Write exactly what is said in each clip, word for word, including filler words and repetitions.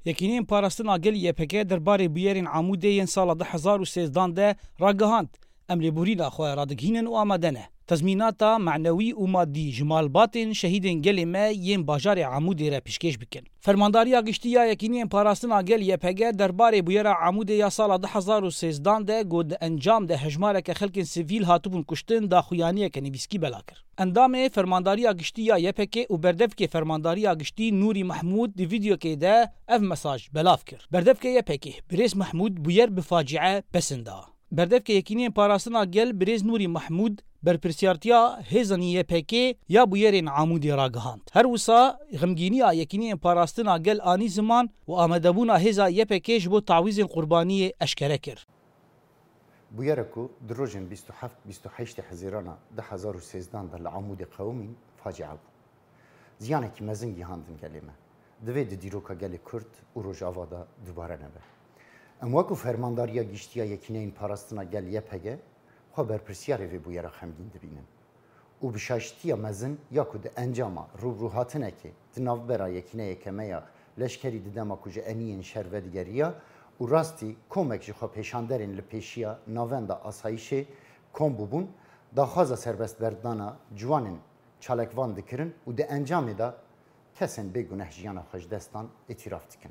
Yekîneyên Parastina Gel Y P G derbarê bûyerên Amûdê yên sala du hezar û sêzdan de ragihand, em lêborîna xwe radigihînin û amade ne tezmînata manewî û madî ji malbatên şehîdên gelê me yên bajarê Amûdê re pêşkêş bikin. Fermandariya Giştî ya Yekîneyên Parastina Gel Y P G derbarê bûyera Amûdê ya sala du hezar û sêzdan de ku di encam de hejmareke xelkên sivîl hatibûn kuştin, daxuyaniyeke nivîskî bela kir. Endamê Fermandariya Giştî ya Y P G û berdevkê Fermandariya Giştî Nûrî Mehmûd di vîdeokê de ev mesaj belav kir. Berdevkê Y P G Birêz Mehmûd bûyer bi faciye pesin da. Berdevkê Yekîneyên Parastina Gel Birêz Nûrî Mehmûd berpirsiyartiya hêzan Y P G ya bûyerên Amûdê ragihand. Her wisa xemgîniya Yekîneyên Parastina Gel anî ziman û amadebûna hêza Y P G ji bo tawîzên qurbaniyê eşkere kir. Bûyera ku di rojên bîst û heft bîst û heştê Hezîrana du hezar û sêzdan de li Amûdê qewimîn, facia bû. Ziyanekî mezin gihandin gelê me. Divê di dîroka gelê Kurd û Rojava de dubare nebe. Em wekî Fermandariya Giştî ya Yekîneyên Parastina Gel Y P G xwe berpirsiyarê vê bûyera xemgîn dibînin û bi şaştiya mezin ya ku di encama rûbirûhatinekê di navbera yekîneyeke me ya leşkerî di dema ku ji eniyên şer vedigeriya û rastî komek ji xwepêşanderên li pêşiya navenda asayîşê kom bûbûn, daxwaza serbestberdana ciwanên çalakvan dikirin û di encamê de kesên bêguneh jiyana xwe ji dest dan îtîraf dikin.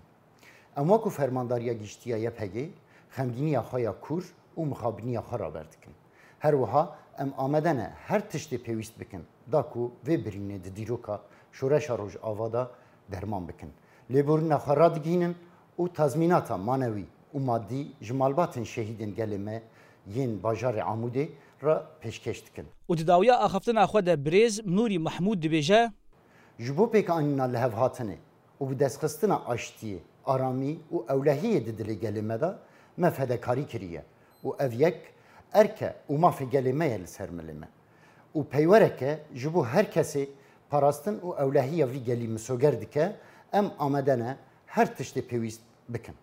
Em wekî Fermandariya Giştî ya Y P G xemgîniya xwe ya kûr û mixabiniya xwe raber dikin. Her wiha em amade ne her tiştê pêwîst bikin da ku vê birînê di dîroka şoreşa Rojava de derman bikin. Lêborîna xwe radigihînin û tazmînata manewî û madî ji malbatên şehîdên gelê me yên bajarê Amûdê re pêşkêş dikin. Û di dawiya axaftina xwe de birêz Nûrî Mehmûd dibêje, Ji bo pêkanîna lihevhatinê û bi destxistina aştiyê, aramî û ewlehiyê di dilê gelê me de me fedekarî kiriye û ev yek erk e û mafê gelê me ye li ser milê me. Û peywereke ji bo her kesê parastin û ewlehiya vî gelî misoger dike, em amade ne her tiştê pêwîst bikin.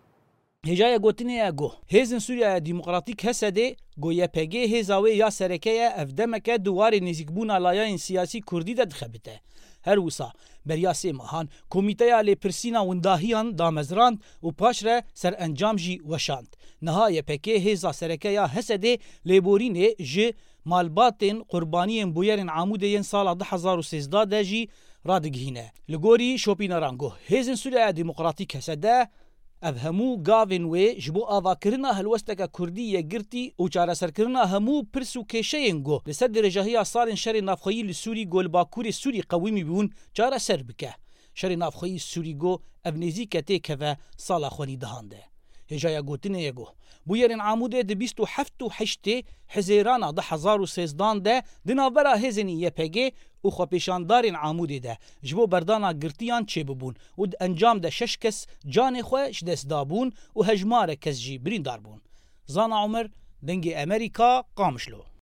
Hêjaya gotinê ye ku Hêzên Sûriya Demokratîk H S D ku Y P G hêza wê ya sereke ye, ev demeke di warê nêzîkbûna layayên siyasî kurdî de dixebite. Her wisa, beriya sê mehan, Komîteya Lêpirsîna Windahiyan damezrand û paşre serencam jî weşand. Niha Y P G hêza sereke ya H S D lêborînê ji malbatên qurbaniyên bûyerên Amûdê yên sala du hezar û sêzdeh de jî radigihîne. Li gorî şopîneran ku Hêzên Sûriya Demokratîk H S D, ev hemû gavên wê ji bo avakirina helwesteke kurdî yekgirtî û çareserkirina hemû pirs û kêşeyên ku li ser dirêjahiya salên şerê navxweyî li Sûrî ku li Bakurê Sûrî qewimî bûn, çareser bike. Şerê navxweyî Sûrî ku ev nêzîke têkeve sala xwenî dehan de. Hêjaya gotinê ye ku bûyerên Amûdê di bîst û heft û heştê Hizêrana du hezar û sêzdan de di navbera hêzên Y P G û xwepêşandarên Amûdê de ji bo berdana girtiyan çêbibûn û di encam de şeş kes canê xwe ji dest dabûn û hejmarek kes jî birîndar bûn. Zana Omer, Dengê Amerîka, Qamişlo.